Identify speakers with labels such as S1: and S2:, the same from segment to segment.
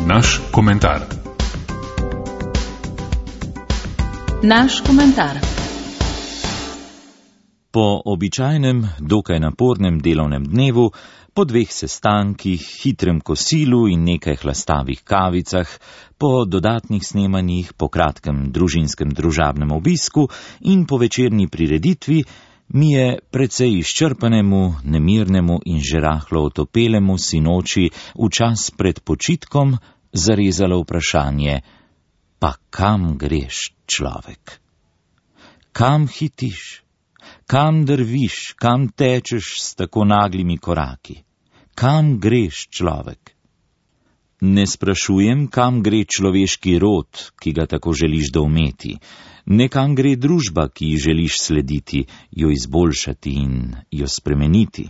S1: Naš komentar.
S2: Naš komentar.
S3: Po običajnem, dokaj napornem delovnem dnevu, po 2 sestankih, hitrem kosilu in nekaj hlastavih kavicah, po dodatnih snemanjih, po kratkem družinskem družabnem obisku in po večerni prireditvi, mi je precej izčrpanemu, nemirnemu in že rahlo otopelemu sinoči v čas pred počitkom zarezalo vprašanje: pa kam greš, človek? Kam hitiš? Kam drviš, kam tečeš s tako naglimi koraki? Kam greš, človek? Ne sprašujem, kam gre človeški rod, ki ga tako želiš doumeti, ne kam gre družba, ki ji želiš slediti, jo izboljšati in jo spremeniti,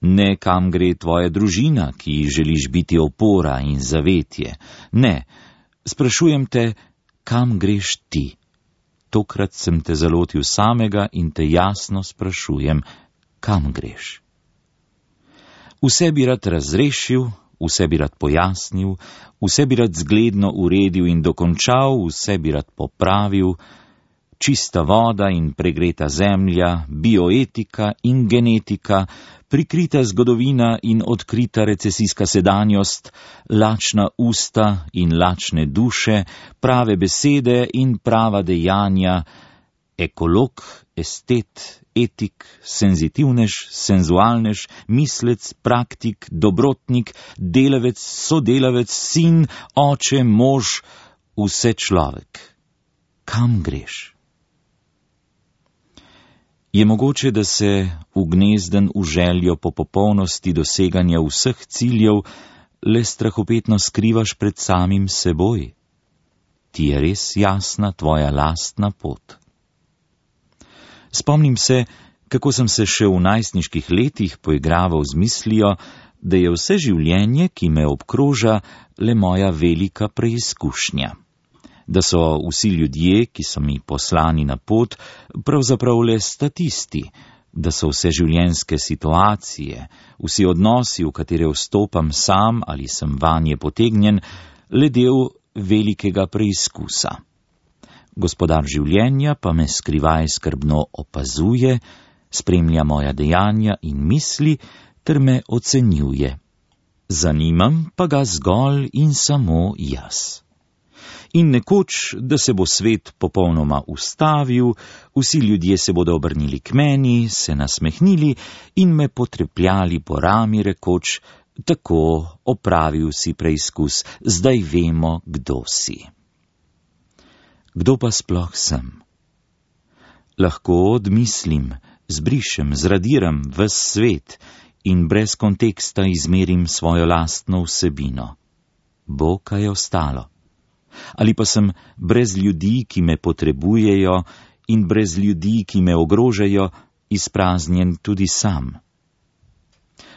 S3: ne kam gre tvoja družina, ki ji želiš biti opora in zavetje, ne, sprašujem te, kam greš ti? Tokrat sem te zalotil samega in te jasno sprašujem, kam greš? Vse bi rad razrešil, vse bi rad pojasnil, vse bi rad zgledno uredil in dokončal, vse bi rad popravil, čista voda in pregreta zemlja, bioetika in genetika, prikrita zgodovina in odkrita recesijska sedanjost, lačna usta in lačne duše, prave besede in prava dejanja, ekolog, estet, etik, senzitivnež, senzualnež, mislec, praktik, dobrotnik, delavec, sodelavec, sin, oče, mož, vse človek. Kam greš? Je mogoče, da se ugnezden v željo po popolnosti doseganja vseh ciljev le strahopetno skrivaš pred samim seboj? Ti je res jasna tvoja lastna pot? Spomnim se, kako sem se še v najstniških letih poigraval z mislijo, da je vse življenje, ki me obkroža, le moja velika preizkušnja. Da so vsi ljudje, ki so mi poslani na pot, pravzaprav le statisti, da so vse življenjske situacije, vsi odnosi, v katere vstopam sam ali sem vanje potegnjen, le del velikega preizkusa. Gospodar življenja pa me skrivaj skrbno opazuje, spremlja moja dejanja in misli ter me ocenjuje. Zanimam pa ga zgolj in samo jaz. In nekoč, da se bo svet popolnoma ustavil, vsi ljudje se bodo obrnili k meni, se nasmehnili in me potrepljali po rami rekoč: tako, opravil si preizkus, zdaj vemo, kdo si. Kdo pa sploh sem? Lahko odmislim, zbrišem, zradiram ves svet in brez konteksta izmerim svojo lastno vsebino. Bo kaj ostalo? Ali pa sem brez ljudi, ki me potrebujejo, in brez ljudi, ki me ogrožajo, izpraznjen tudi sam?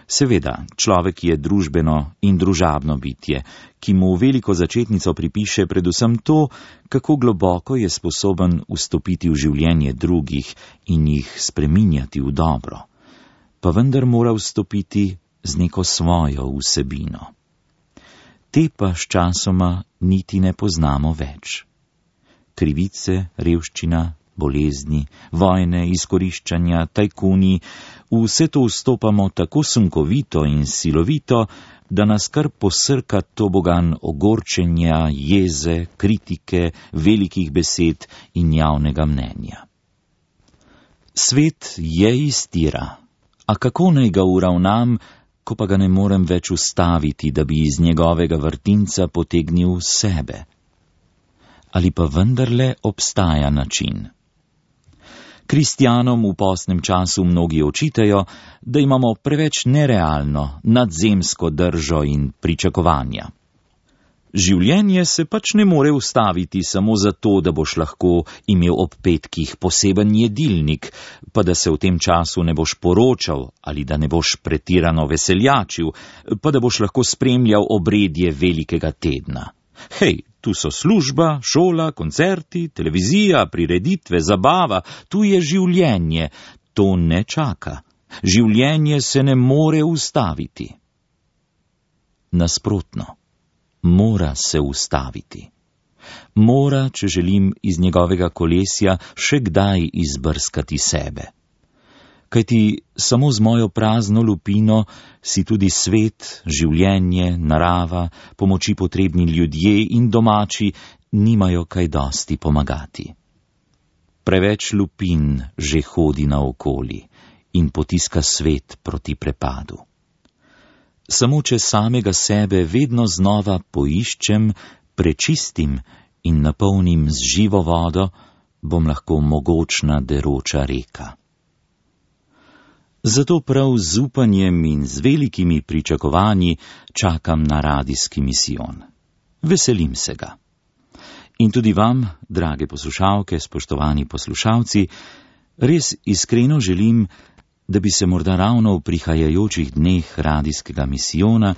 S3: Seveda, človek je družbeno in družabno bitje, ki mu veliko začetnico pripiše predvsem to, kako globoko je sposoben vstopiti v življenje drugih in jih spreminjati v dobro, pa vendar mora vstopiti z neko svojo vsebino. Te pa sčasoma niti ne poznamo več. Krivice, revščina, bolezni, vojne, izkoriščanja, tajkuni, vse to vstopamo tako sunkovito in silovito, da nas kar posrka tobogan ogorčenja, jeze, kritike, velikih besed in javnega mnenja. Svet je iztira, a kako naj ga uravnam, ko pa ga ne morem več ustaviti, da bi iz njegovega vrtinca potegnil sebe? Ali pa vendarle obstaja način? Kristjanom v postnem času mnogi očitajo, da imamo preveč nerealno, nadzemsko držo in pričakovanja. Življenje se pač ne more ustaviti samo zato, da boš lahko imel ob petkih poseben jedilnik, pa da se v tem času ne boš poročal ali da ne boš pretirano veseljačil, pa da boš lahko spremljal obredje velikega tedna. Hej, tu so služba, šola, koncerti, televizija, prireditve, zabava, tu je življenje, to ne čaka. Življenje se ne more ustaviti. Nasprotno. mora se ustaviti. Mora, če želim iz njegovega kolesja še kdaj izbrskati sebe. Kajti samo z mojo prazno lupino si tudi svet, življenje, narava, pomoči potrebni ljudje in domači nimajo kaj dosti pomagati. Preveč lupin že hodi naokoli in potiska svet proti prepadu. Samo če samega sebe vedno znova poiščem, prečistim in napolnim z živo vodo, bom lahko mogočna deroča reka. Zato prav z upanjem in z velikimi pričakovanji čakam na radijski misijon. Veselim se ga. In tudi vam, drage poslušalke, spoštovani poslušalci, res iskreno želim, da bi se morda ravno v prihajajočih dneh radijskega misijona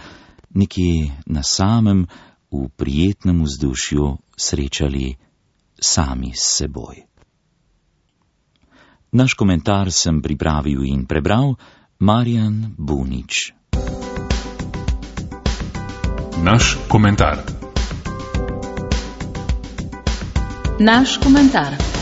S3: nekje na samem, v prijetnem vzdušju srečali sami s seboj. Naš komentar sem pripravil in prebral Marjan Bunič.
S1: Naš komentar.
S2: Naš komentar.